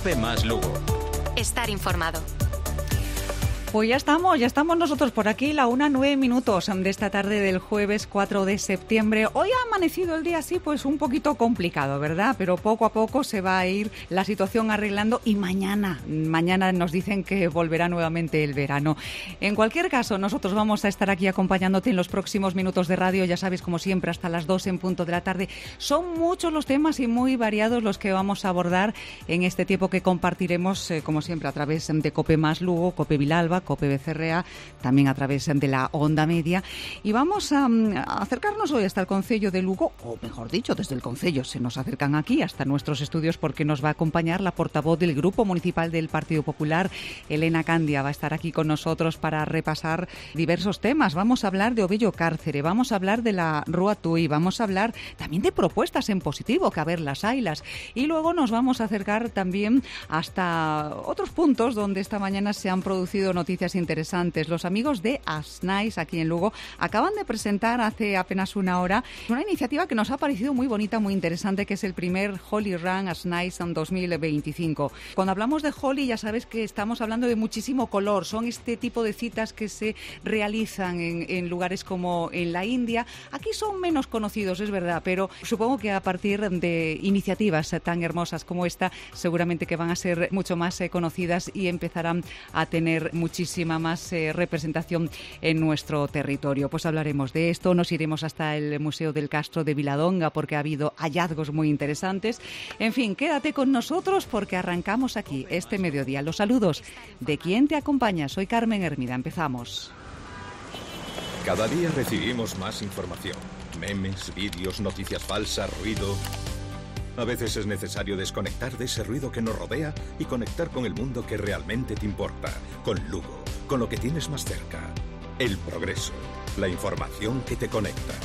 Cope más Lugo. Estar informado. Pues ya estamos nosotros por aquí, la 1:09 de esta tarde del jueves 4 de septiembre. Hoy ha amanecido el día así, pues un poquito complicado, ¿verdad? Pero poco a poco se va a ir la situación arreglando y mañana nos dicen que volverá nuevamente el verano. En cualquier caso, nosotros vamos a estar aquí acompañándote en los próximos minutos de radio, ya sabes, como siempre, hasta las 2 en punto de la tarde. Son muchos los temas y muy variados los que vamos a abordar en este tiempo que compartiremos, como siempre, a través de Cope más Lugo, Cope Vilalba, Cope Becerrea, también a través de la onda media, y vamos a acercarnos hoy hasta el concello de Lugo, o mejor dicho, desde el concello se nos acercan aquí hasta nuestros estudios porque nos va a acompañar la portavoz del Grupo Municipal del Partido Popular, Elena Candia, va a estar aquí con nosotros para repasar diversos temas. Vamos a hablar de O Vello Cárcere, vamos a hablar de la Rúa Tui, vamos a hablar también de propuestas en positivo, que a ver las haylas, y luego nos vamos a acercar también hasta otros puntos donde esta mañana se han producido noticias interesantes. Los amigos de Asnais aquí en Lugo acaban de presentar hace apenas una hora una iniciativa que nos ha parecido muy bonita, muy interesante, que es el primer Holy Run Asnais en 2025. Cuando hablamos de Holy ya sabes que estamos hablando de muchísimo color, son este tipo de citas que se realizan en lugares como en la India. Aquí son menos conocidos, es verdad, pero supongo que a partir de iniciativas tan hermosas como esta, seguramente que van a ser mucho más conocidas y empezarán a tener muchísima más representación en nuestro territorio. Pues hablaremos de esto, nos iremos hasta el Museo del Castro de Viladonga porque ha habido hallazgos muy interesantes. En fin, quédate con nosotros porque arrancamos aquí este mediodía. Los saludos de quien te acompaña. Soy Carmen Hermida. Empezamos. Cada día recibimos más información. Memes, vídeos, noticias falsas, ruido. A veces es necesario desconectar de ese ruido que nos rodea y conectar con el mundo que realmente te importa, con Lugo, con lo que tienes más cerca. El progreso, la información que te conecta.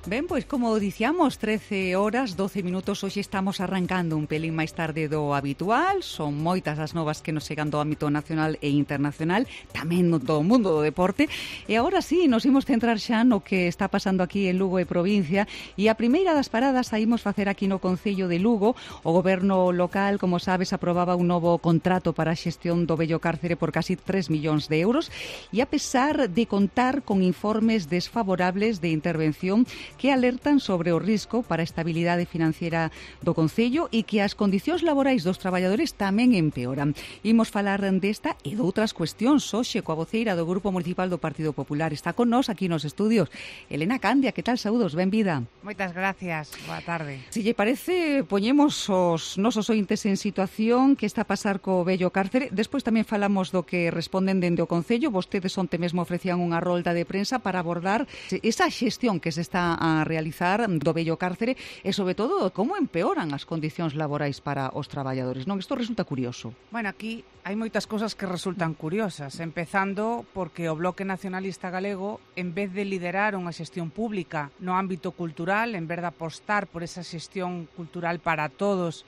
Ben, pois como dicíamos, 13 horas, 12 minutos, hoxe estamos arrancando un pelín máis tarde do habitual, son moitas as novas que nos chegan do ámbito nacional e internacional, tamén do mundo do deporte, e agora sí, nos imos centrar xa no que está pasando aquí en Lugo e provincia, e a primeira das paradas a imos facer aquí no concello de Lugo. O goberno local, como sabes, aprobaba un novo contrato para a xestión do Vello Cárcere por casi 3 millóns de euros, e a pesar de contar con informes desfavorables de intervención que alertan sobre o risco para a estabilidade financiera do concello e que as condicións laborais dos traballadores tamén empeoran. Imos falar desta e de outras cuestións hoxe coa voceira do Grupo Municipal do Partido Popular. Está con nós aquí nos estudios Elena Candia. Que tal? Saúdos, benvida. Moitas gracias, boa tarde. Si lle parece, poñemos os nosos ointes en situación que está a pasar co Vello Cárcere. Despois tamén falamos do que responden dende o concello. Vostedes onte mesmo ofrecían unha rolda de prensa para abordar esa xestión que se está a realizar do Vello Cárcere e, sobre todo, como empeoran as condicións laborais para os traballadores, non? Isto resulta curioso. Bueno, aquí hai moitas cosas que resultan curiosas, empezando porque o Bloque Nacionalista Galego, en vez de liderar unha xestión pública no ámbito cultural, en vez de apostar por esa xestión cultural para todos,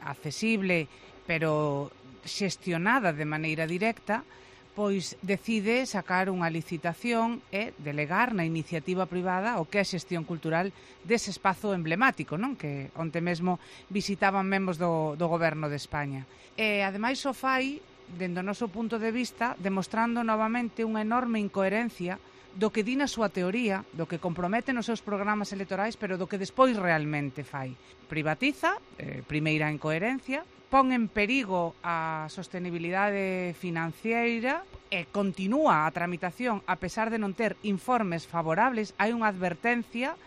accesible, pero xestionada de maneira directa, pois decide sacar unha licitación e delegar na iniciativa privada o que é a xestión cultural dese espazo emblemático, non? Que onte mesmo visitaban membros do Goberno de España. E ademais o fai, dende o noso punto de vista, demostrando novamente unha enorme incoherencia do que di na súa teoría, do que compromete nos seus programas electorais, pero do que despois realmente fai. Privatiza, primeira incoherencia, pon en perigo a sostenibilidade financeira e continúa a tramitación a pesar de non ter informes favorables. Hai unha advertencia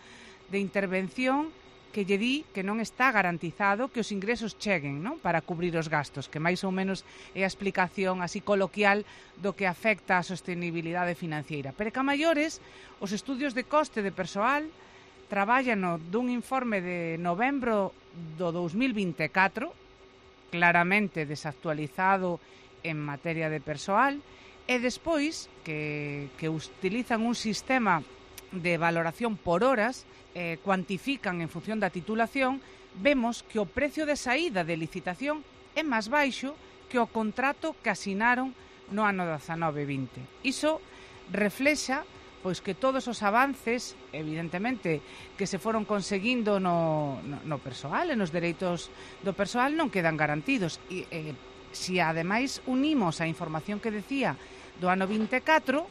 de intervención que lle di que non está garantizado que os ingresos cheguen, non? Para cubrir os gastos, que máis ou menos é a explicación así coloquial do que afecta a sostenibilidade financeira. Pero que a maiores, os estudios de coste de persoal traballan dun informe de novembro do 2024, claramente desactualizado en materia de persoal, e despois que utilizan un sistema de valoración por horas, cuantifican en función da titulación, vemos que o precio de saída de licitación é máis baixo que o contrato que asinaron no ano 19-20. Iso reflexa pois que todos os avances, evidentemente, que se foron conseguindo no persoal e nos dereitos do persoal non quedan garantidos. E se ademais unimos a información que decía do ano 24,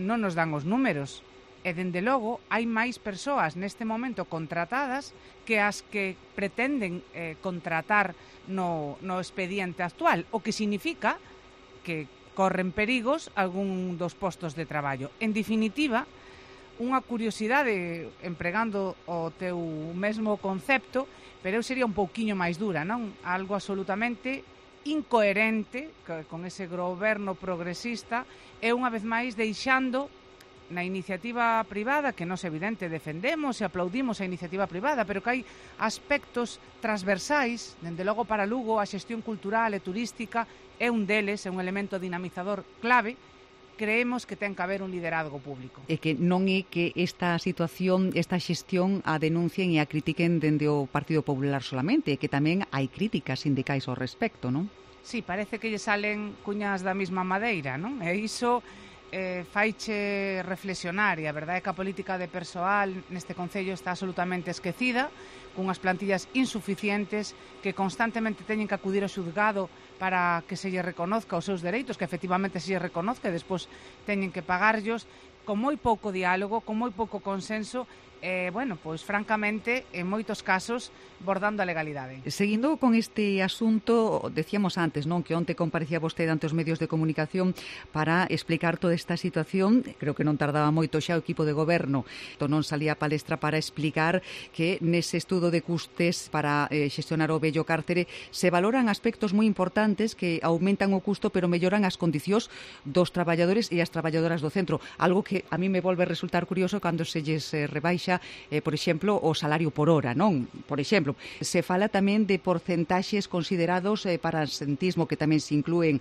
non nos dan os números. E, dende logo, hai máis persoas neste momento contratadas que as que pretenden contratar no expediente actual, o que significa que corren perigos algún dos postos de traballo. En definitiva, unha curiosidade, empregando o teu mesmo concepto, pero eu sería un pouquiño máis dura, non? Algo absolutamente incoherente con ese goberno progresista e, unha vez máis, deixando na iniciativa privada, que nos evidente defendemos e aplaudimos a iniciativa privada, pero que hai aspectos transversais, dende logo para Lugo a xestión cultural e turística é un deles, é un elemento dinamizador clave. Creemos que ten que haber un liderazgo público. E que non é que esta situación, esta xestión a denuncien e a critiquen dende o Partido Popular solamente, que tamén hai críticas sindicais ao respecto, non? Sí, parece que lle salen cuñas da mesma madeira, non? E iso faiche reflexionar, e a verdade é que a política de persoal neste concello está absolutamente esquecida, cunhas plantillas insuficientes que constantemente teñen que acudir ao xuzgado para que se lle reconozca os seus dereitos, que efectivamente se lle reconozca e despois teñen que pagarllos, con moi pouco diálogo, con moi pouco consenso, bueno, pois francamente, en moitos casos, bordando a legalidade. Seguindo con este asunto, decíamos antes, non, que onte comparecía vostede ante os medios de comunicación para explicar toda esta situación. Creo que non tardaba moito xa o equipo de goberno, non salía a palestra para explicar que nese estudo de custes para xestionar o vello cárcere se valoran aspectos moi importantes que aumentan o custo pero melloran as condicións dos traballadores e as traballadoras do centro, algo que a mí me volve a resultar curioso cando se lles rebaixa, por exemplo, o salario por hora, non? Por exemplo, se fala tamén de porcentaxes considerados para asentismo, que tamén se inclúen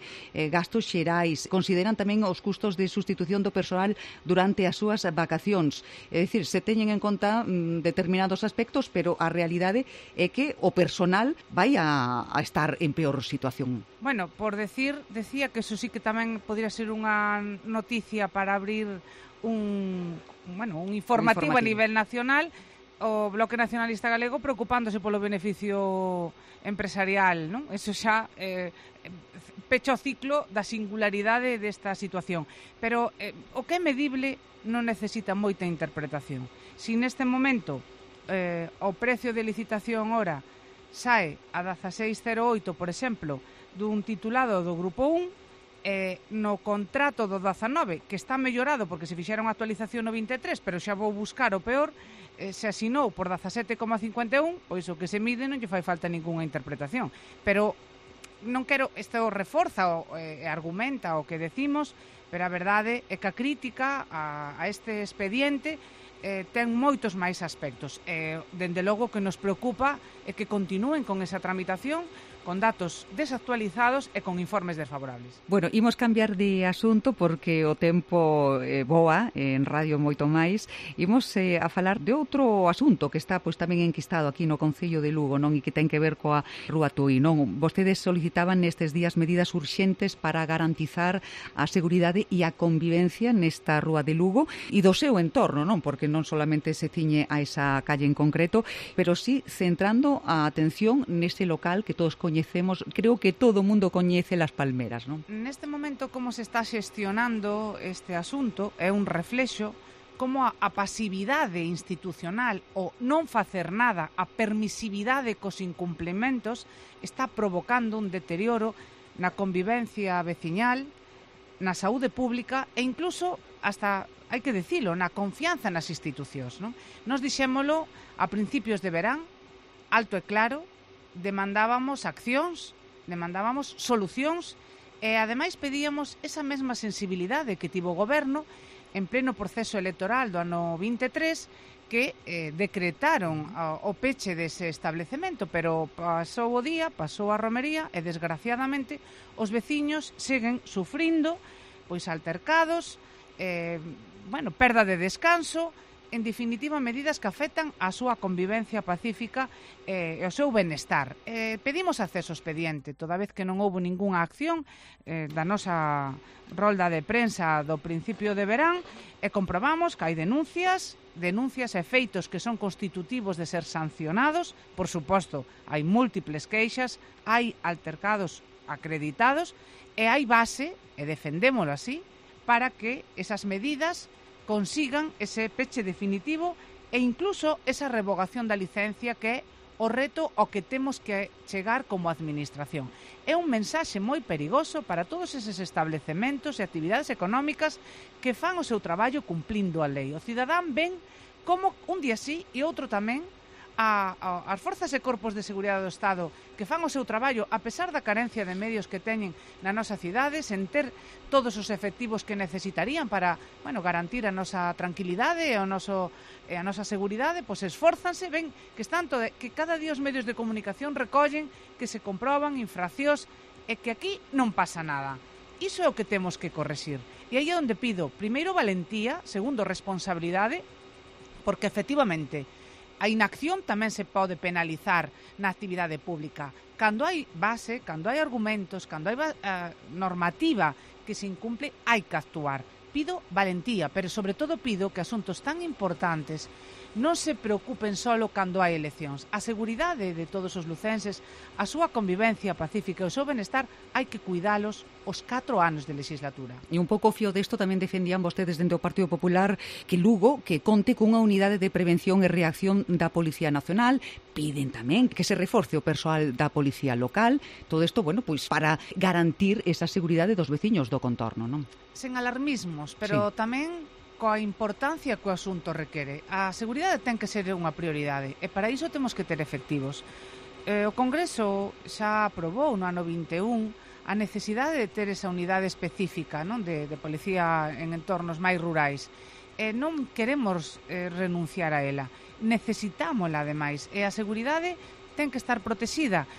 gastos xerais, consideran tamén os custos de sustitución do persoal durante as súas vacacións. É dicir, se teñen en conta determinados aspectos, pero a realidade é que o personal vai a estar en peor situación. Bueno, decía que eso sí que tamén podría ser unha noticia para abrir un informativo a nivel nacional, o Bloque Nacionalista Galego preocupándose polo beneficio empresarial, non? Eso xa pecha o ciclo da singularidade desta situación. Pero o que é medible non necesita moita interpretación. Si neste momento o precio de licitación ora sae a 16,08, por exemplo, dun titulado do Grupo 1, no contrato do 19, que está mellorado porque se fixera unha actualización no 23, pero xa vou buscar o peor, se asinou por 17,51, pois o que se mide non lle fai falta ningunha interpretación. Pero non quero, isto reforza e argumenta o que decimos, pero a verdade é que a crítica a este expediente ten moitos máis aspectos. Dende logo que nos preocupa é que continúen con esa tramitación, con datos desactualizados e con informes desfavorables. Bueno, imos cambiar de asunto porque o tempo voa en radio moito máis. Imos a falar de outro asunto que está pois tamén enquistado aquí no Concello de Lugo, non, e que ten que ver coa Rúa Tui, non? Vostedes solicitaban nestes días medidas urxentes para garantizar a seguridade e a convivencia nesta Rúa de Lugo e do seu entorno, non? Porque non solamente se ciñe a esa calle en concreto, pero sí centrando a atención nese local que todos coñecemos, creo que todo o mundo coñece Las Palmeras, non? Neste momento, como se está xestionando este asunto é un reflexo como a pasividade institucional, o non facer nada, a permisividade cos incumplementos está provocando un deterioro na convivencia veciñal, na saúde pública e incluso hasta, hai que dicilo, na confianza nas institucións, non? Nos dixémolo a principios de verán, alto e claro, demandábamos accións, demandábamos solucións e ademais pedíamos esa mesma sensibilidade que tivo o goberno en pleno proceso electoral do ano 23 que decretaron o peche dese establecemento, pero pasou o día, pasou a romería e desgraciadamente os veciños seguen sufrindo pois altercados, perda de descanso en definitiva, medidas que afectan a súa convivencia pacífica e o seu benestar. Pedimos acceso ao expediente, toda vez que non houve ningunha acción da nosa rolda de prensa do principio de verán, e comprobamos que hai denuncias e feitos que son constitutivos de ser sancionados. Por suposto, hai múltiples queixas, hai altercados acreditados e hai base, e defendémolo así, para que esas medidas consigan ese peche definitivo e incluso esa revogación da licencia, que é o reto ao que temos que chegar como administración. É un mensaxe moi perigoso para todos eses establecementos e actividades económicas que fan o seu traballo cumplindo a lei. O cidadán ven como un día sí e outro tamén as forzas e corpos de seguridade do Estado que fan o seu traballo a pesar da carencia de medios que teñen na nosa cidade, sen ter todos os efectivos que necesitarían para, garantir a nosa tranquilidade e a nosa seguridade, pois esfórzanse, ven que que cada día os medios de comunicación recollen que se comproban infraccións e que aquí non pasa nada. Iso é o que temos que correxir. E aí é onde pido, primeiro, valentía, segundo, responsabilidade, porque efectivamente a inacción tamén se pode penalizar na actividade pública. Cando hai base, cando hai argumentos, cando hai normativa que se incumple, hai que actuar. Pido valentía, pero sobre todo pido que asuntos tan importantes non se preocupen solo cando hai eleccións. A seguridade de todos os lucenses, a súa convivencia pacífica e o seu benestar hai que cuidalos os 4 anos de legislatura. E un pouco fío desto tamén defendían vostedes dentro do Partido Popular que Lugo que conte cunha unidade de prevención e reacción da Policía Nacional. Piden tamén que se reforce o persoal da Policía Local. Todo isto, pois para garantir esa seguridade dos veciños do contorno, non? Sen alarmismos, pero tamén coa importancia que o asunto requere. A seguridade ten que ser unha prioridade e para iso temos que ter efectivos. O Congreso xa aprobou no ano 21 a necesidade de ter esa unidade específica, non, de policía en entornos máis rurais. Non queremos renunciar a ela. Necesitámola, ademais, e a seguridade ten que estar protexida,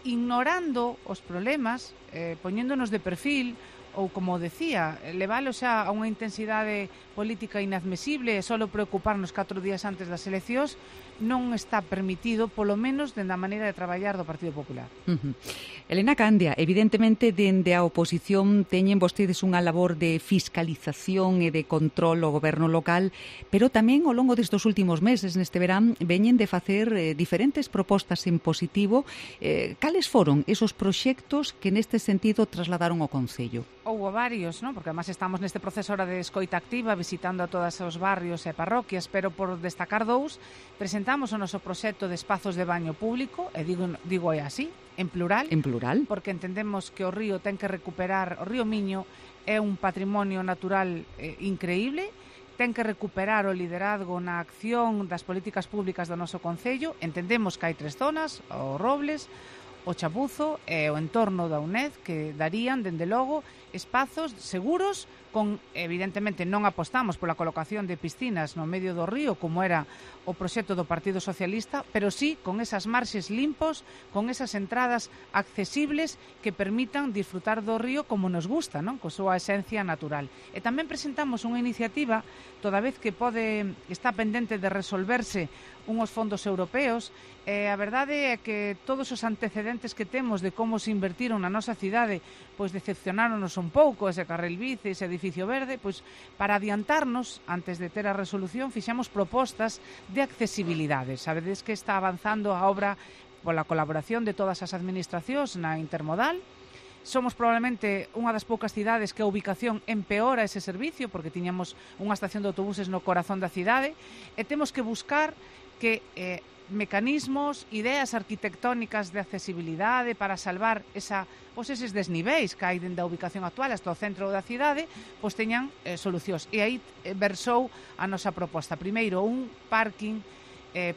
ignorando os problemas, poñéndonos de perfil, ou, como decía, levalo xa a unha intensidade política inadmisible e só preocuparnos 4 días antes das eleccións non está permitido, polo menos dende a maneira de traballar do Partido Popular. Elena Candia, evidentemente dende a oposición teñen vostedes unha labor de fiscalización e de control ao goberno local, pero tamén ao longo destes últimos meses, neste verán, veñen de facer diferentes propostas en positivo. Cales foron esos proxectos que neste sentido trasladaron ao Concello? Houve varios, non? Porque además estamos neste proceso ahora de escoita activa, visitando a todos os barrios e parroquias, pero por destacar 2, presentamos o noso proxecto de espazos de baño público, e digo así, en plural. En plural. Porque entendemos que o río ten que recuperar, o río Miño é un patrimonio natural increíble, ten que recuperar o liderazgo na acción das políticas públicas do noso Concello. Entendemos que hai 3 zonas, o Robles, o Chapuzo e o entorno da UNED, que darían, dende logo, espazos seguros, con, evidentemente, non apostamos pola colocación de piscinas no medio do río, como era o proxecto do Partido Socialista, pero sí con esas marxes limpos, con esas entradas accesibles que permitan disfrutar do río como nos gusta, non? Con súa esencia natural. E tamén presentamos unha iniciativa, toda vez que está pendente de resolverse unhos fondos europeos, a verdade é que todos os antecedentes que temos de como se invertiron na nosa cidade, pois decepcionáronos un pouco, ese carril bici, ese edificio verde, pois para adiantarnos, antes de ter a resolución, fixamos propostas de accesibilidade. Sabedes que está avanzando a obra pola colaboración de todas as administracións na intermodal. Somos probablemente unha das poucas cidades que a ubicación empeora ese servicio, porque tiñamos unha estación de autobuses no corazón da cidade, e temos que buscar que mecanismos, ideas arquitectónicas de accesibilidade para salvar eses desniveis que hai dende a ubicación actual hasta o centro da cidade, pois teñan solucións. E aí versou a nosa proposta. Primeiro, un parking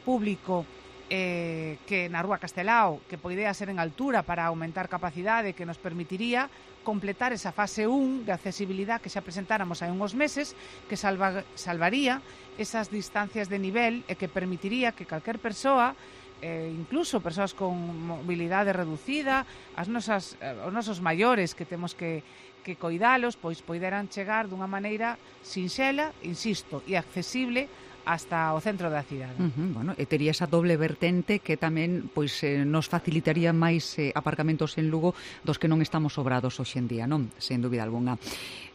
público que na Rúa Castelao, que poidea ser en altura para aumentar capacidade, que nos permitiría completar esa fase 1 de accesibilidade que xa presentáramos hai uns meses, que salvaría esas distancias de nivel e que permitiría que calquer persoa, incluso persoas con mobilidade reducida, os nosos maiores que temos que coidalos, pois poideran chegar dunha maneira sinxela, insisto, e accesible hasta o centro da cidade. Bueno, e tería esa doble vertente que tamén pois nos facilitaría máis aparcamentos en Lugo dos que non estamos sobrados hoxe en día, non? Sen dúbida alguna.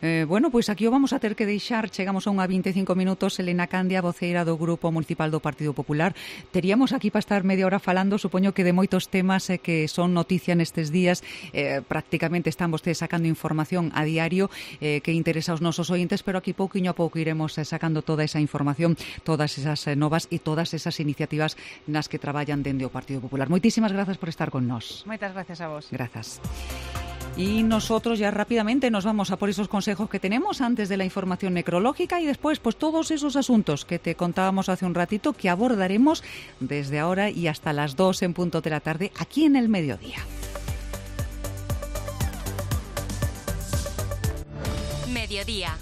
Bueno, pois aquí o vamos a ter que deixar. Chegamos a unha 25 minutos. Elena Candia, voceira do Grupo Municipal do Partido Popular. Teríamos aquí para estar media hora falando, supoño que de moitos temas que son noticia nestes días. Prácticamente están vostedes sacando información a diario que interesa aos nosos ointes, pero aquí pouquiño a pouco iremos sacando toda esa información, todas esas novas e todas esas iniciativas nas que traballan dende o Partido Popular. Moitísimas grazas por estar con nós. Moitas gracias a vos. Grazas. Y nosotros ya rápidamente nos vamos a por esos consejos que tenemos antes de la información necrológica y después pues todos esos asuntos que te contábamos hace un ratito que abordaremos desde ahora y hasta las 2 en punto de la tarde aquí en El Mediodía. Mediodía.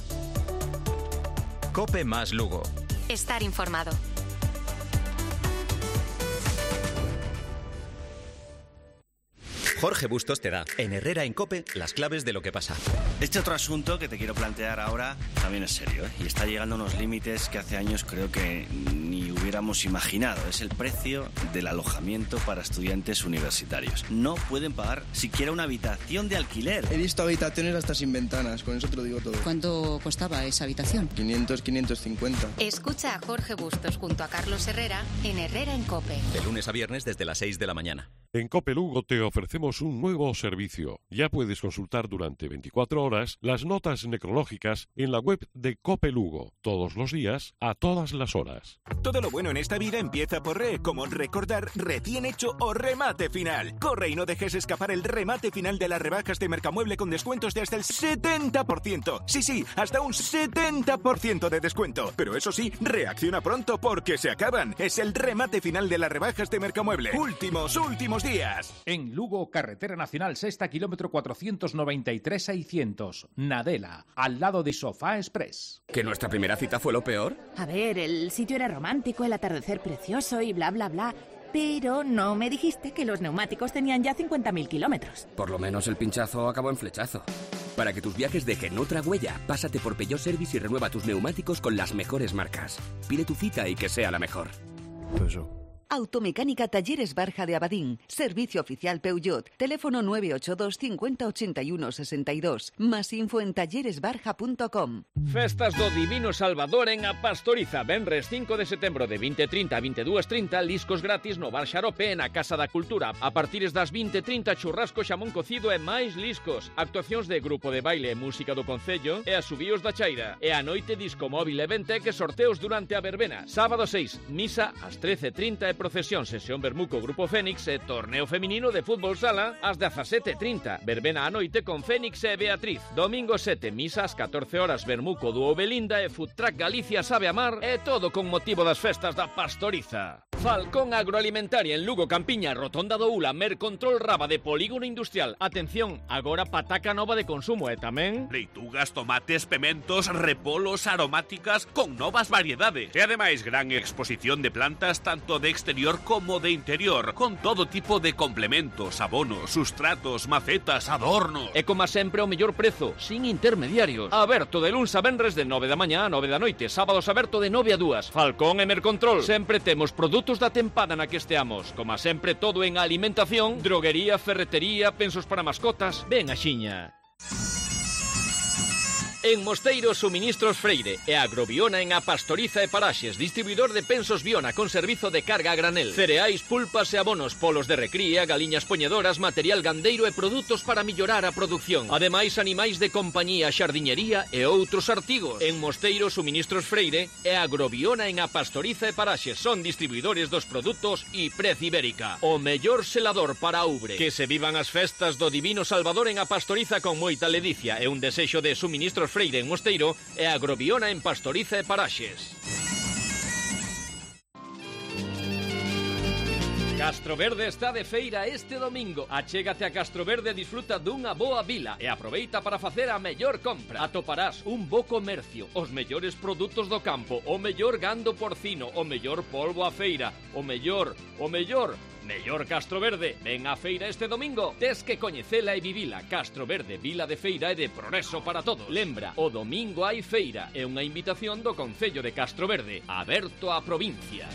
COPE más Lugo. Estar informado. Jorge Bustos te da, en Herrera en COPE, las claves de lo que pasa. Este otro asunto que te quiero plantear ahora también es serio, y está llegando a unos límites que hace años creo que ni hubiéramos imaginado. Es el precio del alojamiento para estudiantes universitarios. No pueden pagar siquiera una habitación de alquiler. He visto habitaciones hasta sin ventanas, con eso te lo digo todo. ¿Cuánto costaba esa habitación? 500, 550. Escucha a Jorge Bustos junto a Carlos Herrera en Herrera en COPE. De lunes a viernes desde las 6 de la mañana. En COPE Lugo te ofrecemos un nuevo servicio. Ya puedes consultar durante 24 horas las notas necrológicas en la web de COPE Lugo. Todos los días, a todas las horas. Todo lo bueno en esta vida empieza por re, como recordar recién hecho o remate final. Corre y no dejes escapar el remate final de las rebajas de Mercamueble con descuentos de hasta el 70%. Sí, hasta un 70% de descuento. Pero eso sí, reacciona pronto porque se acaban. Es el remate final de las rebajas de Mercamueble. Últimos días. En Lugo, carretera nacional sexta, kilómetro 493-600. Nadela, al lado de Sofá Express. ¿Que nuestra primera cita fue lo peor? A ver, el sitio era romántico, el atardecer precioso y bla, bla, bla. Pero no me dijiste que los neumáticos tenían ya 50.000 kilómetros. Por lo menos el pinchazo acabó en flechazo. Para que tus viajes dejen otra huella, pásate por Peugeot Service y renueva tus neumáticos con las mejores marcas. Pide tu cita y que sea la mejor. Automecánica Talleres Barja de Abadín. Servicio oficial Peugeot. Teléfono 982 50 81 62. Más info en talleresbarja.com. Festas do Divino Salvador en A Pastoriza. Venres 5 de setembro de 20:30 a 22:30. Liscos gratis no Bar Xarope en a Casa da Cultura. A partires das 20:30 churrasco, xamón cocido e máis liscos. Actuacións de grupo de baile e música do Concello e asubíos da Chaira. E a noite disco móvil e Ventec e sorteos durante a verbena. Sábado 6, misa ás 13:30 e procesión, sesión Bermuco Grupo Fénix e torneo feminino de fútbol sala ás 17:30. Verbena a noite con Fénix e Beatriz. Domingo 7, misa ás 14 horas Bermuco Dúo Belinda e Food Truck Galicia Sabe Amar e todo con motivo das festas da Pastoriza. Falcón Agroalimentaria en Lugo, Campiña, Rotonda do Ula, Mercontrol Raba de Polígono Industrial. Atención, agora pataca nova de consumo e tamén leitugas, tomates, pementos, repolos, aromáticas con novas variedades. E ademais gran exposición de plantas tanto de exterior como de interior, con todo tipo de complementos, abonos, sustratos, macetas, adornos. E como sempre o mellor prezo, sin intermediarios. Aberto de luns a venres de 9 da mañá a 9 da noite, sábados aberto de 9 a 2. Falcón e Mercontrol. Sempre temos produtos da tempada na que esteamos. Como sempre todo en alimentación, droguería, ferretería, pensos para mascotas. Ven a xiña. En Mosteiro, Suministros Freire e Agrobiona en A Pastoriza e Paraxes, distribuidor de pensos Biona con servizo de carga a granel, cereais, pulpas e abonos, polos de recría, galiñas poñedoras, material gandeiro e produtos para millorar a produción. Ademais, animais de compañía, xardiñería e outros artigos. En Mosteiro, Suministros Freire e Agrobiona en A Pastoriza e Paraxes son distribuidores dos produtos Iprez Ibérica, o mellor selador para Oubre. Que se vivan as festas do Divino Salvador en A Pastoriza con moita ledicia e un desexo de Suministros Freire en Mosteiro e Agrobiona en Pastoriza e Paraxes. Castroverde está de feira este domingo. Achégate a Castroverde e disfruta dunha boa vila e aproveita para facer a mellor compra. Atoparás un bo comercio, os mellores produtos do campo, o mellor gando porcino, o mellor polvo a feira, o mellor, mellor Castro Verde. Ven á feira este domingo. Tes que coñecela e vivila. Castro Verde, vila de feira e de progreso para todos. Lembra, o domingo hai feira. É unha invitación do Concello de Castro Verde, aberto á provincia.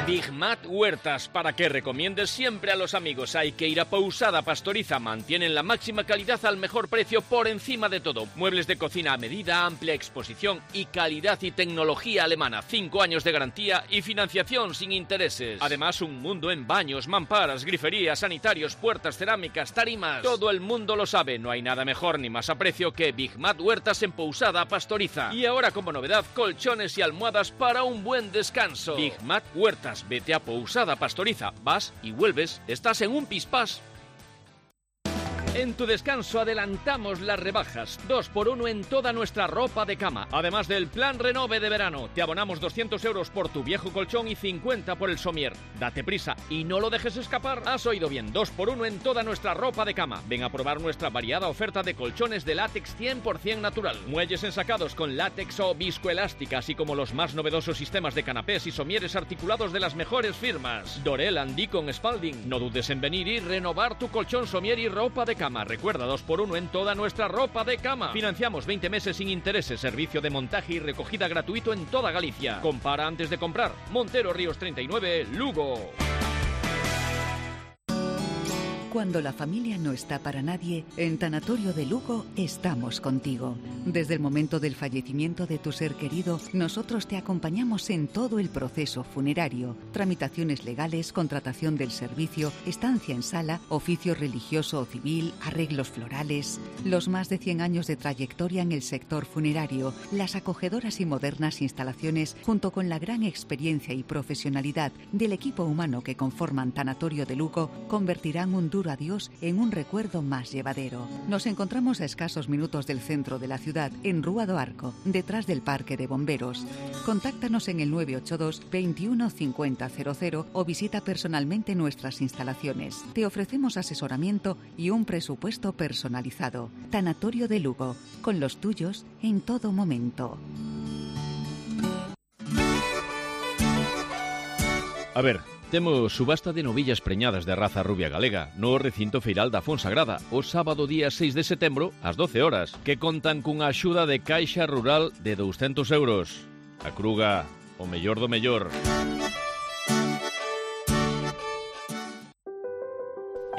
Big Mat Huertas, para que recomiendes siempre a los amigos. Hay que ir a Pousada Pastoriza. Mantienen la máxima calidad al mejor precio por encima de todo. Muebles de cocina a medida, amplia exposición y calidad y tecnología alemana. 5 años de garantía y financiación sin intereses. Además, un mundo en baños, mamparas, griferías, sanitarios, puertas, cerámicas, tarimas. Todo el mundo lo sabe. No hay nada mejor ni más a precio que Big Mat Huertas en Pousada Pastoriza. Y ahora, como novedad, colchones y almohadas para un buen descanso. Big Mat Huertas. Vete a Pousada Pastoriza, vas y vuelves, estás en un pispás. En tu descanso adelantamos las rebajas, 2x1 en toda nuestra ropa de cama. Además del plan Renove de verano, te abonamos 200 euros por tu viejo colchón y 50 por el somier. Date prisa y no lo dejes escapar. Has oído bien, 2x1 en toda nuestra ropa de cama. Ven a probar nuestra variada oferta de colchones de látex 100% natural. Muelles ensacados con látex o viscoelástica, así como los más novedosos sistemas de canapés y somieres articulados de las mejores firmas. Dorel, Deacon, Spalding. No dudes en venir y renovar tu colchón, somier y ropa de cama. Recuerda, 2x1 en toda nuestra ropa de cama. Financiamos 20 meses sin intereses. Servicio de montaje y recogida gratuito en toda Galicia. Compara antes de comprar. Montero Ríos 39, Lugo. Cuando la familia no está para nadie, en Tanatorio de Lugo estamos contigo. Desde el momento del fallecimiento de tu ser querido, nosotros te acompañamos en todo el proceso funerario, tramitaciones legales, contratación del servicio, estancia en sala, oficio religioso o civil, arreglos florales. Los más de 100 años de trayectoria en el sector funerario, las acogedoras y modernas instalaciones, junto con la gran experiencia y profesionalidad del equipo humano que conforman Tanatorio de Lugo, convertirán un duro adiós en un recuerdo más llevadero. Nos encontramos a escasos minutos del centro de la ciudad, en Rúa do Arco, detrás del Parque de Bomberos. Contáctanos en el 982 21 50 00 o visita personalmente nuestras instalaciones. Te ofrecemos asesoramiento y un presupuesto personalizado. Tanatorio de Lugo, con los tuyos en todo momento. A ver, temos subasta de novillas preñadas de raza rubia galega no recinto feiral da Fonsagrada o sábado día 6 de setembro ás 12 horas, que contan cunha axuda de Caixa Rural de 200 euros. A Cruga, o mellor do mellor.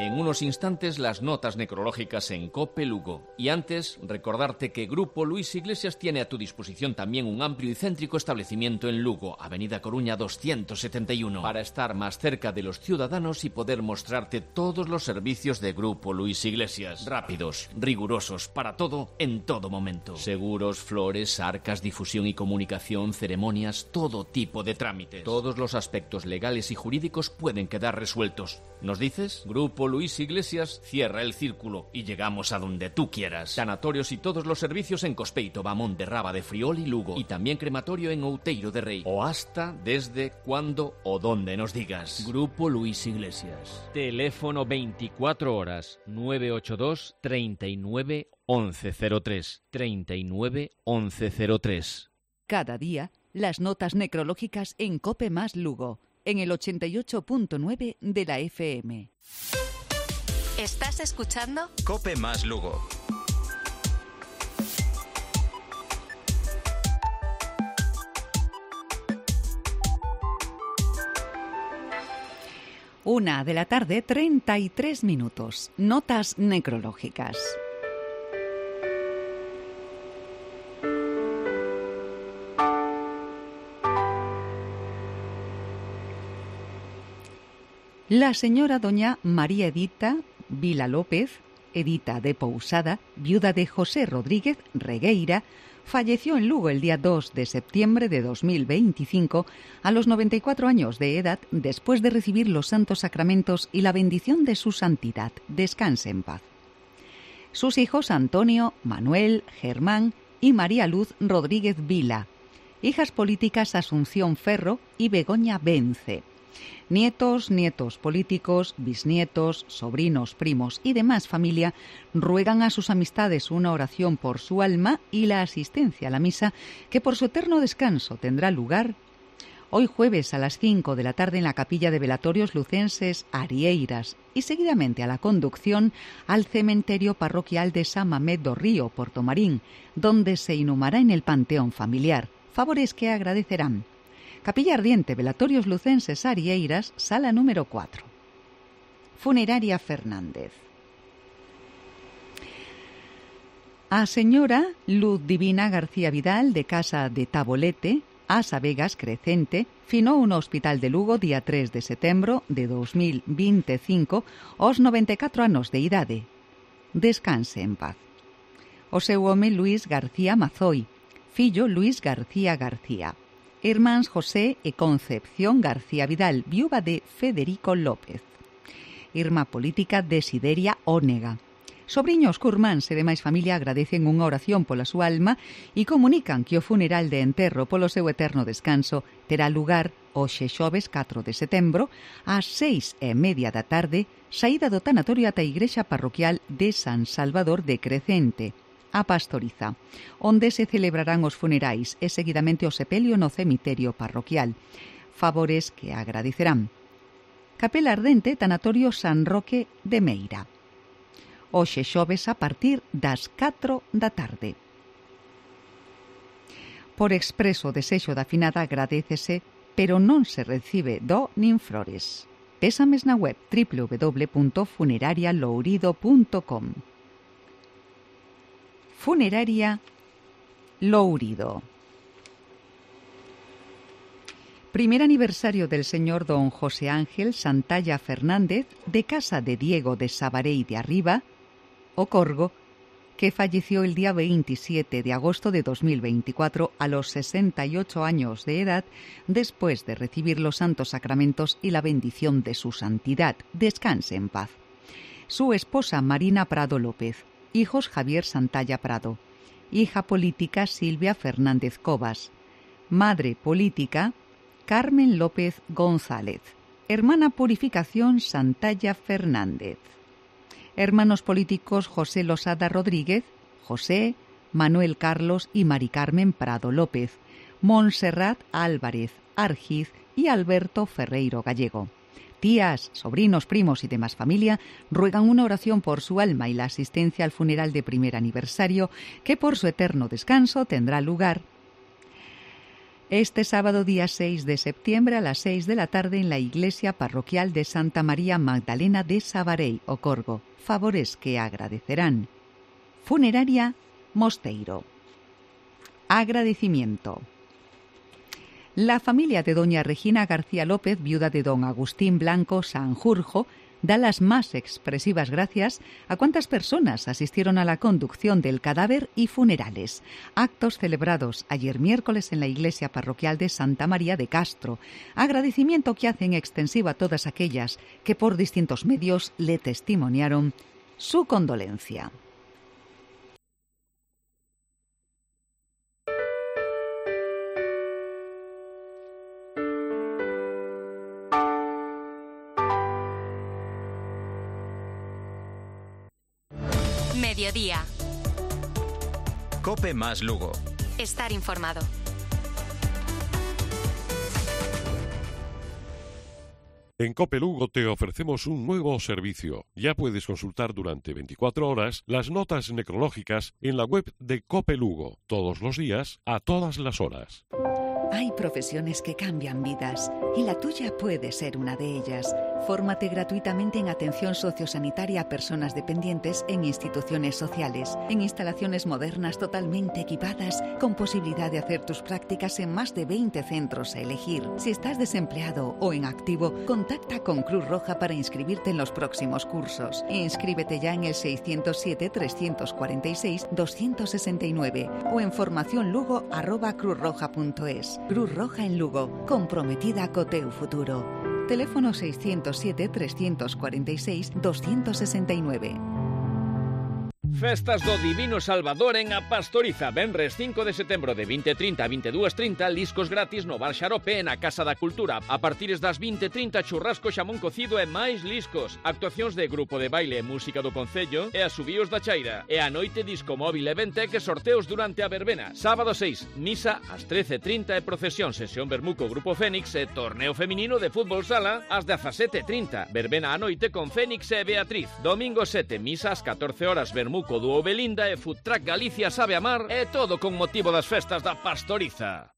En unos instantes las notas necrológicas en COPE Lugo. Y antes, recordarte que Grupo Luis Iglesias tiene a tu disposición también un amplio y céntrico establecimiento en Lugo, Avenida Coruña 271, para estar más cerca de los ciudadanos y poder mostrarte todos los servicios de Grupo Luis Iglesias. Rápidos, rigurosos, para todo, en todo momento. Seguros, flores, arcas, difusión y comunicación, ceremonias, todo tipo de trámites. Todos los aspectos legales y jurídicos pueden quedar resueltos. ¿Nos dices? Grupo Luis Iglesias cierra el círculo y llegamos a donde tú quieras. Sanatorios y todos los servicios en Cospeito, Bamón de Raba de Friol y Lugo. Y también crematorio en Outeiro de Rei. O hasta, desde, cuando o donde nos digas. Grupo Luis Iglesias. Teléfono 24 horas 982 39 1103. 39 1103. Cada día, las notas necrológicas en COPE más Lugo, en el 88.9 de la FM. ¿Estás escuchando? COPE más Lugo. Una de la tarde, 33 minutos. Notas necrológicas. La señora doña María Edita Vila López, Edita de Pousada, viuda de José Rodríguez Regueira, falleció en Lugo el día 2 de septiembre de 2025 a los 94 años de edad después de recibir los santos sacramentos y la bendición de su santidad. Descanse en paz. Sus hijos Antonio, Manuel, Germán y María Luz Rodríguez Vila. Hijas políticas Asunción Ferro y Begoña Vence. Nietos, nietos políticos, bisnietos, sobrinos, primos y demás familia ruegan a sus amistades una oración por su alma y la asistencia a la misa que por su eterno descanso tendrá lugar Hoy jueves a las 5 de la tarde en la Capilla de Velatorios Lucenses Arieiras y seguidamente a la conducción al cementerio parroquial de San Mamés do Río, Portomarín, donde se inhumará en el panteón familiar. Favores que agradecerán. Capilla Ardiente, Velatorios Lucenses Arieiras, sala número 4. Funeraria Fernández. A señora Luz Divina García Vidal, de Casa de Tabolete, a Sabegas Crecente, finou no Hospital de Lugo día 3 de setembro de 2025 aos 94 anos de idade. Descanse en paz. O seu home Luís García Mazoi, fillo Luís García García. Irmáns José e Concepción García Vidal, viúva de Federico López. Irmá política Desideria Ónega. Sobriños curmáns e demais familia agradecen unha oración pola súa alma e comunican que o funeral de enterro polo seu eterno descanso terá lugar hoxe xoves 4 de setembro ás 6:30 da tarde, saída do tanatorio ata a igrexa parroquial de San Salvador de Crecente, a Pastoriza, onde se celebrarán os funerais e seguidamente o sepelio no cemiterio parroquial. Favores que agradecerán. Capela Ardente, tanatorio San Roque de Meira. Hoxe xoves a partir das 4 da tarde. Por expreso desexo da finada agradécese, pero non se recibe do nin flores. Pésames na web www.funerarialourido.com. Funeraria Lourido. Primer aniversario del señor don José Ángel Santalla Fernández, de Casa de Diego de Sabarei de Arriba, o Corgo, que falleció el día 27 de agosto de 2024 a los 68 años de edad, después de recibir los santos sacramentos y la bendición de su santidad. Descanse en paz. Su esposa Marina Prado López, hijos Javier Santalla Prado, hija política Silvia Fernández Cobas, madre política Carmen López González, hermana Purificación Santalla Fernández. Hermanos políticos José Losada Rodríguez, José, Manuel Carlos y Mari Carmen Prado López, Montserrat Álvarez Argiz y Alberto Ferreiro Gallego. Tías, sobrinos, primos y demás familia ruegan una oración por su alma y la asistencia al funeral de primer aniversario que por su eterno descanso tendrá lugar este sábado día 6 de septiembre a las 6 de la tarde en la iglesia parroquial de Santa María Magdalena de Sabarei, Ocorgo. Favores que agradecerán. Funeraria Mosteiro. Agradecimiento. La familia de doña Regina García López, viuda de don Agustín Blanco Sanjurjo, da las más expresivas gracias a cuantas personas asistieron a la conducción del cadáver y funerales. Actos celebrados ayer miércoles en la iglesia parroquial de Santa María de Castro. Agradecimiento que hacen extensivo a todas aquellas que por distintos medios le testimoniaron su condolencia. Mediodía. Cope más Lugo. Estar informado. En Cope Lugo te ofrecemos un nuevo servicio. Ya puedes consultar durante 24 horas las notas necrológicas en la web de Cope Lugo, todos los días, a todas las horas. Hay profesiones que cambian vidas y la tuya puede ser una de ellas. Fórmate gratuitamente en atención sociosanitaria a personas dependientes en instituciones sociales, en instalaciones modernas totalmente equipadas, con posibilidad de hacer tus prácticas en más de 20 centros a elegir. Si estás desempleado o en activo, contacta con Cruz Roja para inscribirte en los próximos cursos. Inscríbete ya en el 607-346-269 o en formacionlugo@cruzroja.es. Cruz Roja en Lugo, comprometida co teu futuro. Teléfono 607-346-269. Festas do Divino Salvador en A Pastoriza. Venres 5 de setembro de 20:30 a 22:30, liscos gratis no Bar Xarope na Casa da Cultura. A partires das 20:30, churrasco, xamón cocido e máis liscos. Actuacións de grupo de baile e música do Concello e asubíos da Chaira. E a noite disco móvil e Ventec e sorteos durante a verbena. Sábado 6, misa ás 13:30 e procesión, sesión Bermuco Grupo Fénix e torneo feminino de fútbol sala ás 17:30. Verbena a noite con Fénix e Beatriz. Domingo 7, misa ás 14 horas, Bermuco Dúo Belinda e Food Truck Galicia Sabe Amar, e todo con motivo das festas da Pastoriza.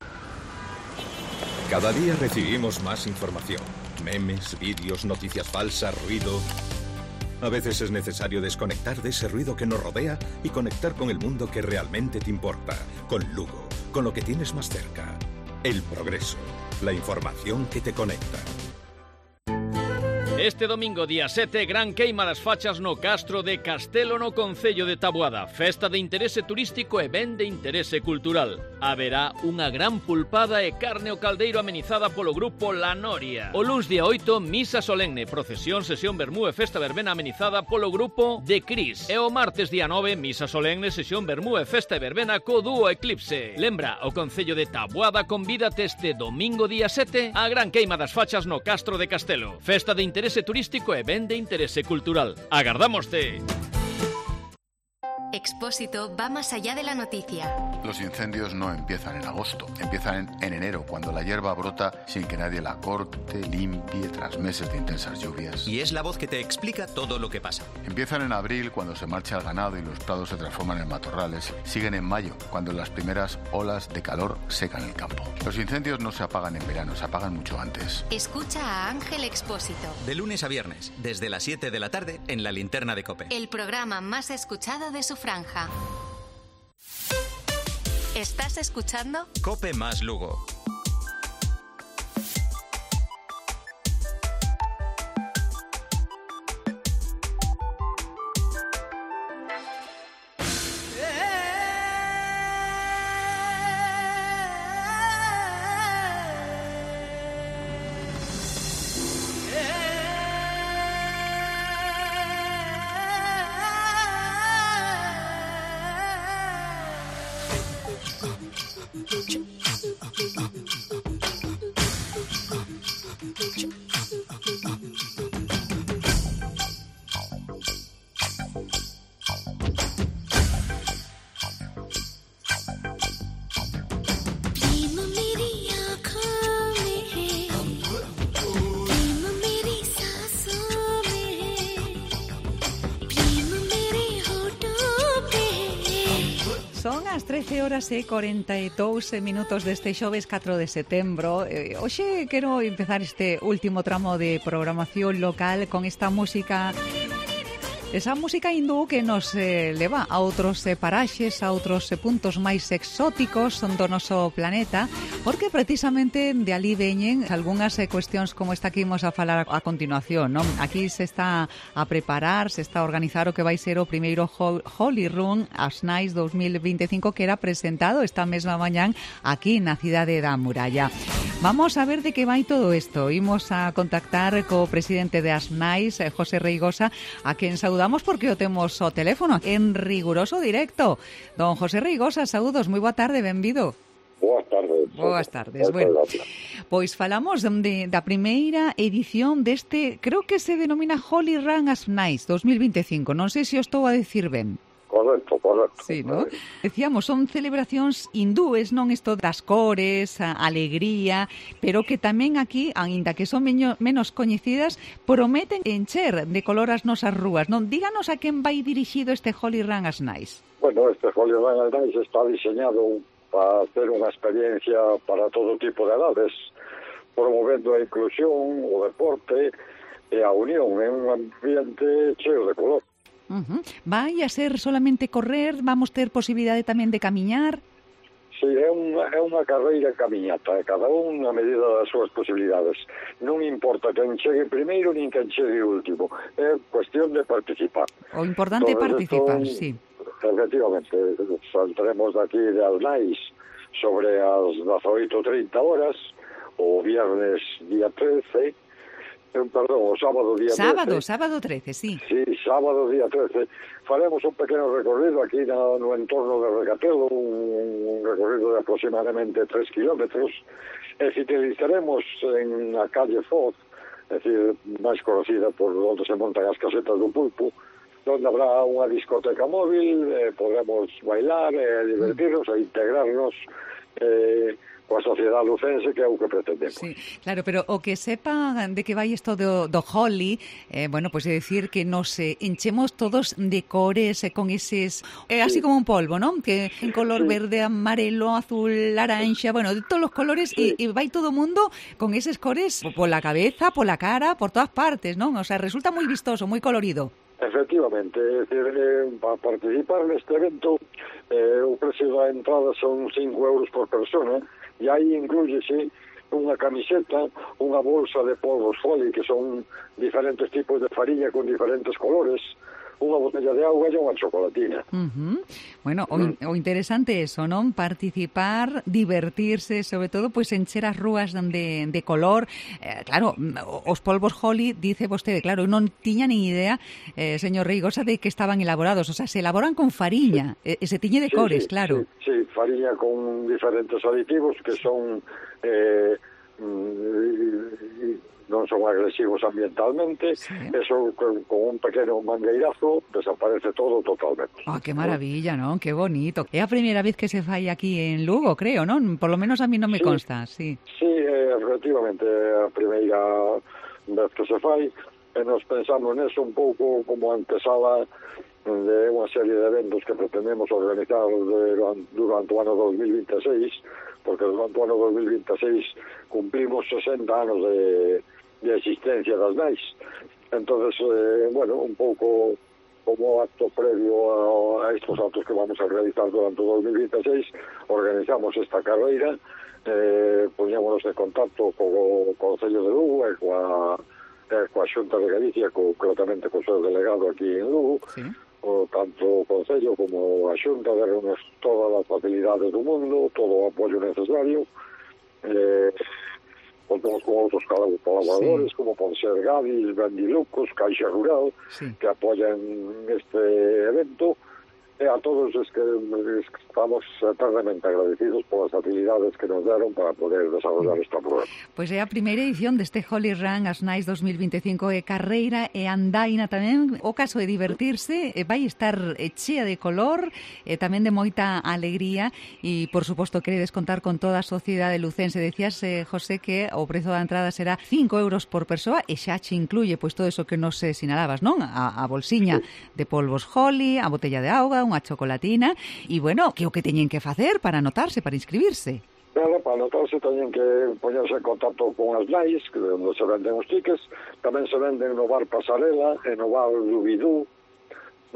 Cada día recibimos más información. Memes, vídeos, noticias falsas, ruido. A veces es necesario desconectar de ese ruido que nos rodea y conectar con el mundo que realmente te importa. Con Lugo, con lo que tienes más cerca. El progreso, la información que te conecta. Este domingo, día 7, gran queima das fachas no Castro de Castelo no Concello de Taboada. Festa de interese turístico e ben de interese cultural. Haberá unha gran pulpada e carne ao caldeiro amenizada polo grupo La Noria. O luns día 8, misa solemne, procesión, sesión vermú e festa verbena amenizada polo grupo de Cris. E o martes día 9, misa solemne, sesión vermú e festa e verbena co dúo Eclipse. Lembra, o Concello de Taboada convídate este domingo día 7 a gran queima das fachas no Castro de Castelo. Festa de interese turístico e ben de interese cultural. ¡Agardámoste! Expósito va más allá de la noticia. Los incendios no empiezan en agosto, empiezan en enero, cuando la hierba brota sin que nadie la corte, limpie, tras meses de intensas lluvias. Y es la voz que te explica todo lo que pasa. Empiezan en abril, cuando se marcha el ganado y los prados se transforman en matorrales. Siguen en mayo, cuando las primeras olas de calor secan el campo. Los incendios no se apagan en verano, se apagan mucho antes. Escucha a Ángel Expósito. De lunes a viernes, desde las 7 de la tarde, en la linterna de COPE. El programa más escuchado de su franja. ¿Estás escuchando? COPE más Lugo. Son as 13:42 deste xoves 4 de setembro. Hoxe quero empezar este último tramo de programación local con esta música, esa música hindú que nos leva a outros paraxes, a outros puntos máis exóticos do noso planeta, porque precisamente de ali veñen algunhas cuestións como esta que imos a falar a continuación, non? Aquí se está a preparar, se está a organizar o que vai ser o primeiro Holy Run As Nice 2025, que era presentado esta mesma mañán aquí na cidade da Muralla. Vamos a ver de que vai todo isto. Imos a contactar co presidente de As Nice, José Reigosa, a quen saudamos porque o temos o teléfono en riguroso directo. Don José Reigosa, saúdos, moi boa tarde, benvido. Boas tardes. Boas tardes. Bueno, pois falamos da primeira edición deste, creo que se denomina Holy Run As Nice 2025. Non sei se o estou a decir ben. Correcto. Sí, ¿no? Decíamos, son celebracións hindúes, non isto das cores, a alegría, pero que tamén aquí, aínda que son menos coñecidas, prometen encher de color as nosas rúas, non? Díganos a quen vai dirixido este Holy Run As Nice. Bueno, este Holy Run As Nice está diseñado para hacer unha experiencia para todo tipo de edades, promovendo a inclusión, o deporte e a unión en un ambiente cheo de color. Vai a ser solamente correr? Vamos ter posibilidade tamén de camiñar? Sí, é unha carreira camiñata, cada un a medida das súas posibilidades. Non importa quen chegue primeiro nin quen chegue último, é cuestión de participar. O importante é participar, sí. Efectivamente, saldremos daqui de Alnais sobre as 18:30 horas, o viernes día 13, perdón, o sábado día 13. Sábado 13, sí. Sí, sábado, día 13, faremos un pequeno recorrido aquí no entorno de Recatelo, un recorrido de aproximadamente 3 kilómetros, e finalizaremos en a calle Foz, é dicir, máis conocida por onde se montan as casetas do pulpo, onde habrá unha discoteca móvil, podremos bailar, divertirnos e integrarnos coa sociedade lucense, que é o que pretendemos. Sí, claro, pero o que sepa de que vai isto do Holi, bueno, pues é dicir que nos enchemos todos de cores con eses, así como un polvo, ¿no? Que en color verde, amarelo, azul, laranxa, bueno, de todos los colores, y vai todo o mundo con eses cores pola cabeza, pola cara, por todas partes, ¿no? O sea, resulta moi vistoso, moi colorido. Efectivamente, é dicir, para participar neste evento, o precio da entrada son 5 euros por persona, e aí inclúyese unha camiseta, unha bolsa de polvos Holi, que son diferentes tipos de farina con diferentes colores, unha botella de auga e unha chocolatina. Bueno, o interesante é eso, non? Participar, divertirse, sobre todo, pois encher as rúas de color. Claro, os polvos Holi, dice vostede, claro, non tiña nin idea, señor Reigosa, de que estaban elaborados. O sea, se elaboran con fariña, e se tiñe de cores, claro. Sí, fariña con diferentes aditivos que son... non son agresivos ambientalmente, eso con un pequeno mangueirazo desaparece todo totalmente. Que maravilla, non? Que bonito. É a primeira vez que se fai aquí en Lugo, creo, non? Por lo menos a mí non me consta, sí. Sí, efectivamente, a primeira vez que se fai, e nos pensamos neso un pouco como antesala de unha serie de eventos que pretendemos organizar durante o ano 2026, porque durante o ano 2026 cumplimos 60 anos de existencia das NAIS. Entonces, bueno, un pouco como acto previo a estos actos que vamos a realizar durante o 2026, organizamos esta carreira, poñémonos en contacto co Concello de Lugo e coa Xunta de Galicia, concretamente co seu delegado aquí en Lugo, tanto o Concello como a Xunta deronnos todas as facilidades do mundo, todo o apoio necesario, contamos con outros colaboradores, como pode ser Gadis, Bendilucos, Caixa Rural, que apoyan este evento, e a todos os que estamos eternamente agradecidos polas facilidades que nos deron para poder desarrollar esta programa. Pois é a primeira edición deste Holi Run as NAIS 2025, e carreira e andaina tamén. O caso de divertirse, vai estar chea de color, e tamén de moita alegría, e por suposto queredes contar con toda a sociedade lucense. Decías, José, que o prezo da entrada será 5 euros por persoa, e xa che incluye pois todo eso que nos sinalabas, non? A bolsiña de polvos Holi, a botella de auga, unha chocolatina, e bueno, que o que teñen que facer para anotarse, para inscribirse? Para anotarse teñen que poñerse en contacto con as NAIS, onde se venden os tickets, tamén se venden no bar Pasarela e no bar Dubidú.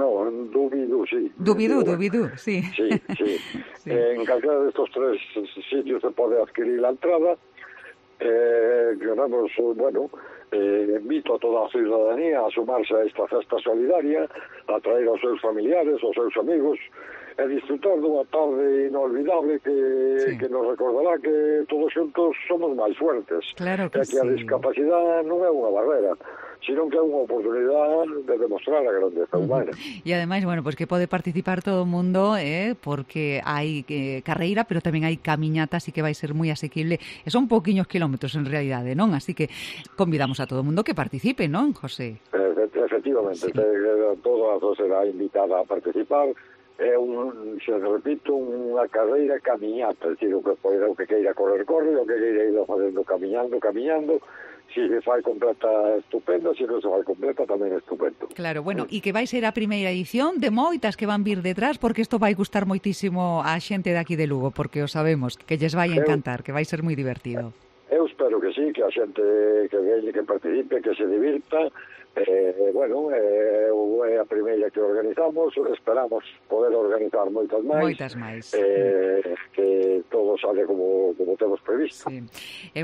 Dubidú, sí. Dubidú, sí. Sí. En calquera destos 3 sitios se pode adquirir a entrada. Queremos, bueno, invito a toda a ciudadanía a sumarse a esta festa solidaria, a traer aos seus familiares, aos seus amigos, e disfrutar dunha tarde inolvidable que nos recordará que todos xuntos somos máis fuertes. Claro que a discapacidade non é unha barrera, sino que é unha oportunidade de demostrar a grandeza humana. E ademais, bueno, pues que pode participar todo o mundo, porque hai carreira, pero tamén hai camiñata, así que vai ser moi asequible. E son pouquiños kilómetros en realidade, non? Así que convidamos a todo o mundo que participe, non, José? Efectivamente, toda a será invitada a participar. É se repito, unha carreira camiñata, é dicir, o que queira correr, o que queira ir facendo camiñando. Si se fai completa, estupendo, se non se fai completa, tamén estupendo. Claro, bueno, e que vai ser a primeira edición de moitas que van vir detrás, porque isto vai gustar moitísimo a xente de aquí de Lugo, porque o sabemos, que lles vai encantar, que vai ser moi divertido. Eu espero que sí, que a xente que veñe, que participe, que se divirta. Bueno, é a primeira que organizamos, esperamos poder organizar moitas máis. Que todo sale como temos previsto. Sí.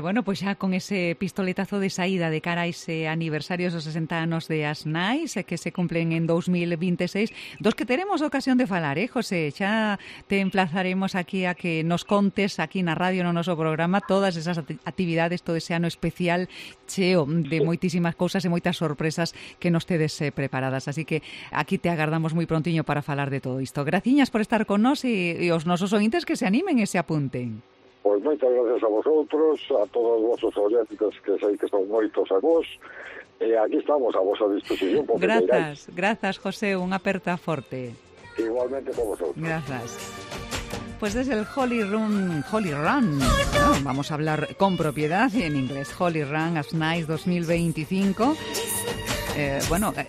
Bueno, pois xa con ese pistoletazo de saída de cara a ese aniversario dos 60 anos de as NAIS, que se cumplen en 2026, dos que teremos ocasión de falar, José? Xa te emplazaremos aquí a que nos contes aquí na radio, no noso programa, todas esas actividades, todo ese ano especial cheo de moitísimas cousas e moitas sorpresas que nos tedes preparadas. Así que aquí te agardamos moi prontiño para falar de todo isto. Graciñas por estar con nós e os nosos ointes que se animen e se apunten. Pois moitas gracias a vosotros, a todos os vosos oyentes, que sei que son moitos a vos, e aquí estamos a vosa disposición. Grazas, José, unha aperta forte. Igualmente por vosotros. Gracias. Pues desde el Holy Run, vamos a hablar con propiedad en inglés, Holy Run as Nice 2025.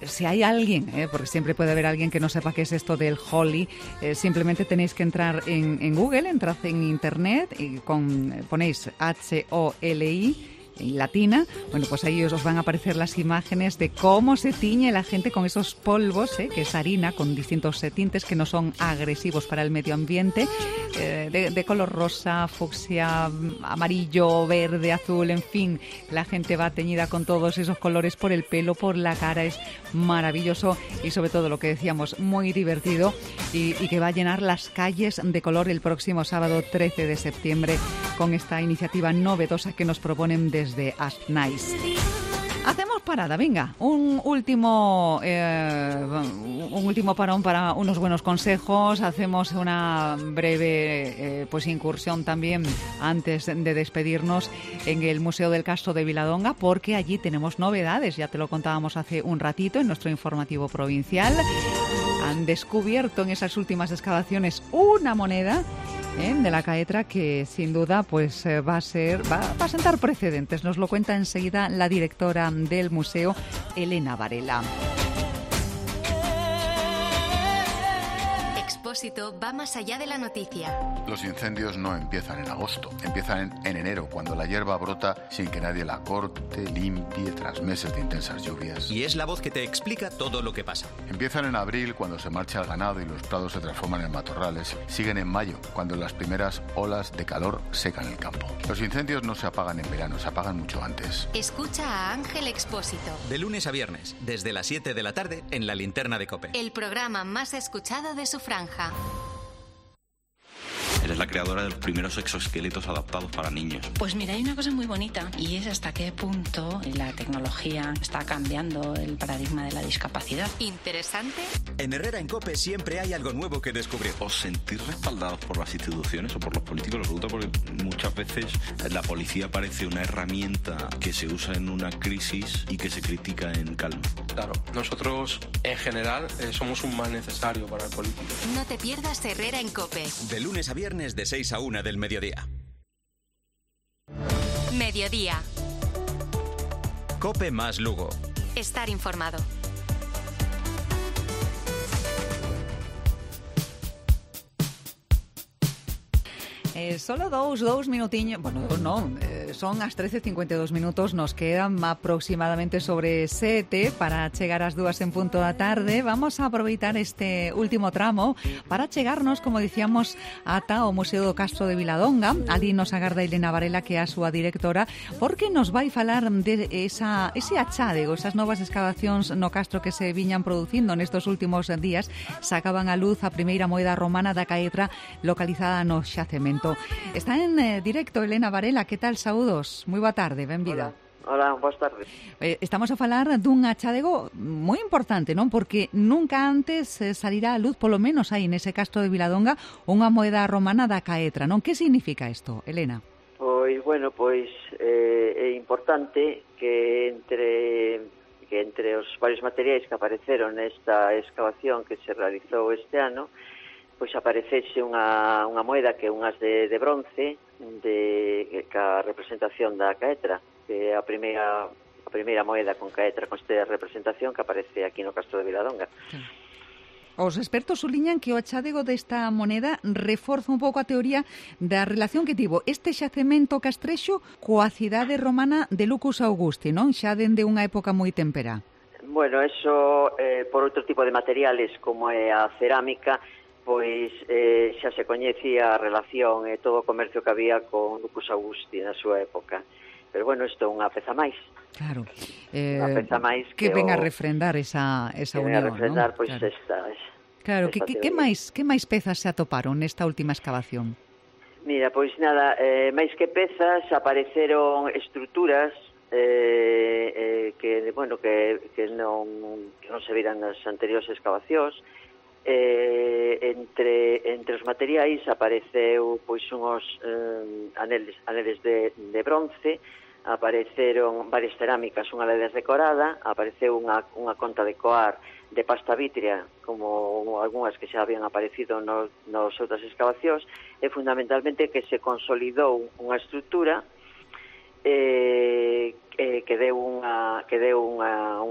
Si hay alguien, porque siempre puede haber alguien que no sepa qué es esto del Holy, simplemente tenéis que entrar en Google, entrad en Internet y ponéis HOLI en latina, bueno, pues ahí os van a aparecer las imágenes de cómo se tiñe la gente con esos polvos, que es harina con distintos tintes que no son agresivos para el medio ambiente, de color rosa, fucsia, amarillo, verde, azul, en fin, la gente va teñida con todos esos colores por el pelo, por la cara, es maravilloso y sobre todo lo que decíamos, muy divertido y que va a llenar las calles de color el próximo sábado 13 de septiembre con esta iniciativa novedosa que nos proponen desde As Nice. Hacemos parada, venga, un último parón para unos buenos consejos. Hacemos una breve incursión también antes de despedirnos en el Museo del Castro de Viladonga, porque allí tenemos novedades, ya te lo contábamos hace un ratito en nuestro informativo provincial. Han descubierto en esas últimas excavaciones una moneda de la Caetra que sin duda pues va a sentar precedentes. Nos lo cuenta enseguida la directora del museo, Elena Varela. Expósito va más allá de la noticia. Los incendios no empiezan en agosto, empiezan en enero, cuando la hierba brota sin que nadie la corte, limpie, tras meses de intensas lluvias. Y es la voz que te explica todo lo que pasa. Empiezan en abril, cuando se marcha el ganado y los prados se transforman en matorrales. Siguen en mayo, cuando las primeras olas de calor secan el campo. Los incendios no se apagan en verano, se apagan mucho antes. Escucha a Ángel Expósito. De lunes a viernes, desde las 7 de la tarde, en la Linterna de COPE. El programa más escuchado de su franja. Eres la creadora de los primeros exoesqueletos adaptados para niños. Pues mira, hay una cosa muy bonita y es hasta qué punto la tecnología está cambiando el paradigma de la discapacidad. ¿Interesante? En Herrera en COPE siempre hay algo nuevo que descubrir. ¿Os sentís respaldados por las instituciones o por los políticos? Lo pregunto porque muchas veces la policía parece una herramienta que se usa en una crisis y que se critica en calma. Claro, nosotros en general somos un mal necesario para el político. No te pierdas Herrera en COPE. De lunes a viernes de 6 a 1 del mediodía. Mediodía. COPE más Lugo. Estar informado. Solo dous minutiños, son as 13:52 minutos, nos quedan aproximadamente sobre 7 para chegar ás 2 en punto da tarde. Vamos a aproveitar este último tramo para chegarnos, como dicíamos, ata o Museo do Castro de Viladonga. Ali nos agarda Elena Varela, que é a súa directora, porque nos vai falar de ese achádego, esas novas excavacións no castro que se viñan producindo nestes últimos días. Sacaban a luz a primeira moeda romana da Caetra localizada no xacemento. Está en directo Elena Varela, que tal? Saúdos, moi boa tarde, benvida. Hola, boas tardes. Estamos a falar dun achádego moi importante, non? Porque nunca antes salirá a luz, polo menos aí nese castro de Viladonga, unha moeda romana da Caetra, non? Que significa isto, Elena? Pois é importante que entre os varios materiais que apareceron nesta excavación que se realizou este ano, pois aparecese unha moeda que é unhas de bronce ca representación da Caetra, que é a primeira moeda con Caetra, con esta representación que aparece aquí no Castro de Viladonga. Os expertos suliñan que o achádego desta moneda reforza un pouco a teoría da relación que tivo este xacemento castrexo coa cidade romana de Lucus Augusti, non? Xa dende unha época moi temperá. Bueno, eso por outro tipo de materiales como é a cerámica, pois xa se coñecía a relación e todo o comercio que había con Lucus Augusti na súa época. Pero bueno, isto é unha peza máis. Claro. Unha peza máis que venga a refrendar esa unión, venga a refrendar, ¿no? Pois claro. esta. Claro, que máis pezas se atoparon nesta última excavación? Mira, pois nada, máis que pezas apareceron estruturas que non se viran nas anteriores excavacións. Entre os materiais apareceu pois unhos aneles de bronce, apareceron varias cerámicas, unha delas decorada, apareceu unha conta de coar de pasta vítrea, como algunhas que xa habían aparecido nos outras excavacións, e fundamentalmente que se consolidou unha estrutura que deu unha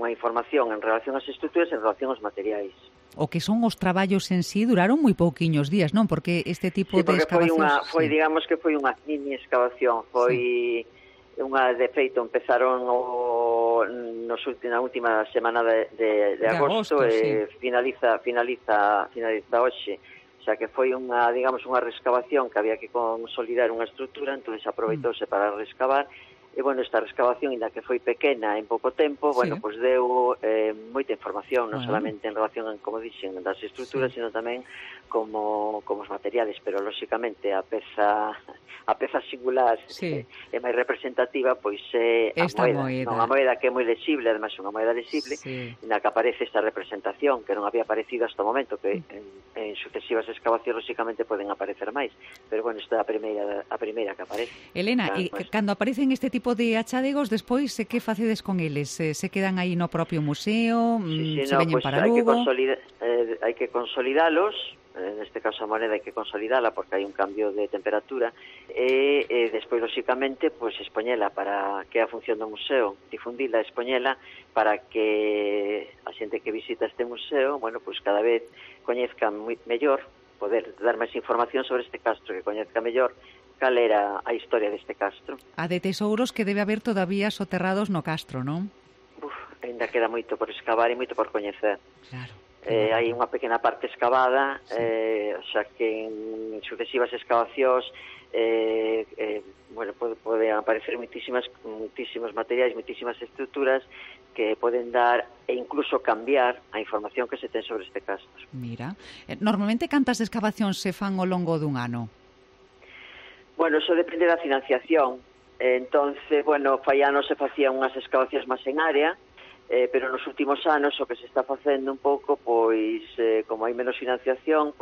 información en relación ás estruturas e en relación aos materiais. O que son os traballos en sí duraron moi pouquiños días, non? Porque este tipo de excavacións... Digamos que foi unha mini excavación, foi de feito, empezaron na última semana de agosto e finaliza hoxe. O sea que foi unha rescavación que había que consolidar unha estrutura, entón aproveitouse para rescavar. E, esta rescavación, ainda que foi pequena en pouco tempo, pois deu moita información, non solamente en relación, como dixen, das estruturas, sino tamén como os materiales, pero, lóxicamente, a peza singular é máis representativa, pois é a moeda. Non a moeda que é moi lexible, ademais unha moeda lexible, na que aparece esta representación, que non había aparecido hasta o momento, que en sucesivas excavacións, lóxicamente, poden aparecer máis. Pero, esta é a primeira que aparece. Elena, cando aparecen este tipo de achadegos, despois, que facedes con eles? Se quedan aí no propio museo? Se veñen para Lugo? Hai que consolidalos, neste caso a moneda hai que consolidala porque hai un cambio de temperatura e despois, lóxicamente, expoñela para que a función do museo, difundila, expoñela para que a xente que visita este museo, cada vez coñezca mellor, poder dar máis información sobre este castro, que coñezca mellor cal era a historia deste castro. A de tesouros que debe haber todavía soterrados no castro, non? Ainda queda moito por excavar e moito por coñecer. Claro. Hai unha pequena parte excavada, o sea que en sucesivas excavacións poden aparecer moitísimos materiais, moitísimas estruturas que poden dar e incluso cambiar a información que se ten sobre este castro. Mira, normalmente cantas excavacións se fan ao longo dun ano? Eso depende da financiación. Entonces, fai anos se facían unhas excavacións máis en área, pero nos últimos anos o que se está facendo un pouco, como hai menos financiación,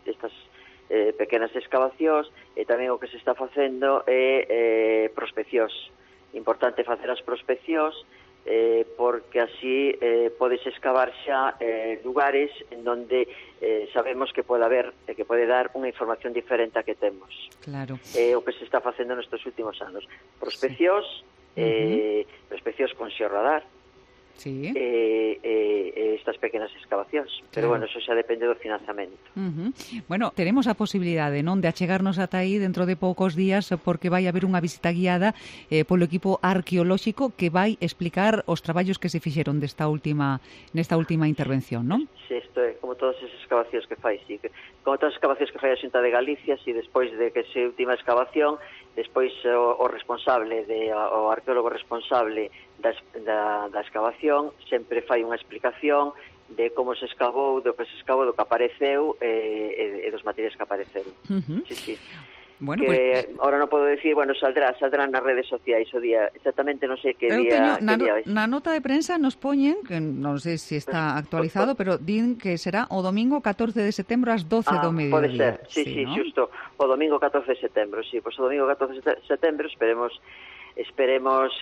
estas pequenas excavacións, e tamén o que se está facendo é prospeccións. Importante facer as prospeccións, porque así podes excavar xa lugares en donde sabemos que pode haber, que pode dar unha información diferente a que temos. Claro. O que se está facendo nestes últimos anos. Prospeccións, prospeccións con xeorradar, estas pequenas excavacións. Pero, eso xa depende do financiamento. Teremos a posibilidade, non, de achegarnos ata aí dentro de poucos días, porque vai haber unha visita guiada polo equipo arqueolóxico que vai explicar os traballos que se fixeron nesta última intervención, non? Sí, isto é como todas as excavacións que fai, como todas as excavacións que fai a Xunta de Galicia, despois de que se última excavación, despois o responsable, o arqueólogo responsable da excavación sempre fai unha explicación de como se escavou, do que se escavou, do que apareceu e dos materiais que apareceron. Sí. Ahora non podo decir, saldrán nas redes sociais o día, exactamente non sei que día. Na nota de prensa nos poñen, que non sei se está actualizado, pero din que será o domingo 14 de setembro ás 12 do mediodía. Pode ser, sí, xusto, o domingo 14 de setembro, o domingo 14 de setembro esperemos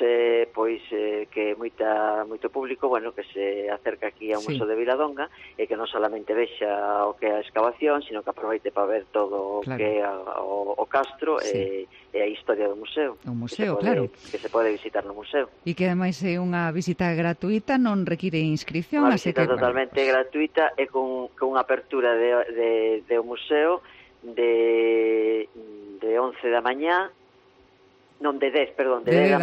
que moito público, que se acerca aquí ao Museo de Viladonga e que non solamente vexa o que é a excavación, sino que aproveite para ver todo o que é o castro e a historia do museo. O museo, claro. Que se pode visitar no museo. E que ademais é unha visita gratuita, non require inscripción. Unha visita totalmente gratuita e con unha apertura do museo de 11 da mañá, non, de 10 da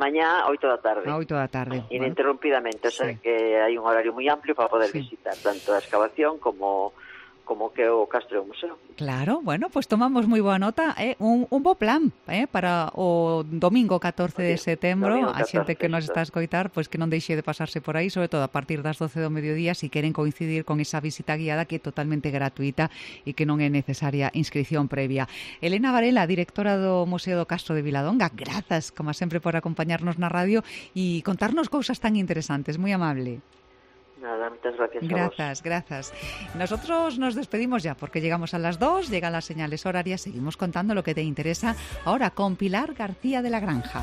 mañá a 8 da tarde. A 8 da tarde. Ininterrumpidamente, o sea que hai un horario moi amplio para poder visitar tanto a excavación como como que o Castro Museo. Claro, bueno, pues tomamos moi boa nota, un bo plan para o domingo 14 de setembro, a xente que nos está a escoitar, pois que non deixe de pasarse por aí, sobre todo a partir das 12 do mediodía, si queren coincidir con esa visita guiada que é totalmente gratuita e que non é necesaria inscripción previa. Elena Varela, directora do Museo do Castro de Viladonga, grazas, como sempre, por acompañarnos na radio e contarnos cousas tan interesantes, moi amable. Nada, muchas gracias a vos. Gracias. Nosotros nos despedimos ya porque llegamos a las 2, llegan las señales horarias, seguimos contando lo que te interesa ahora con Pilar García de la Granja.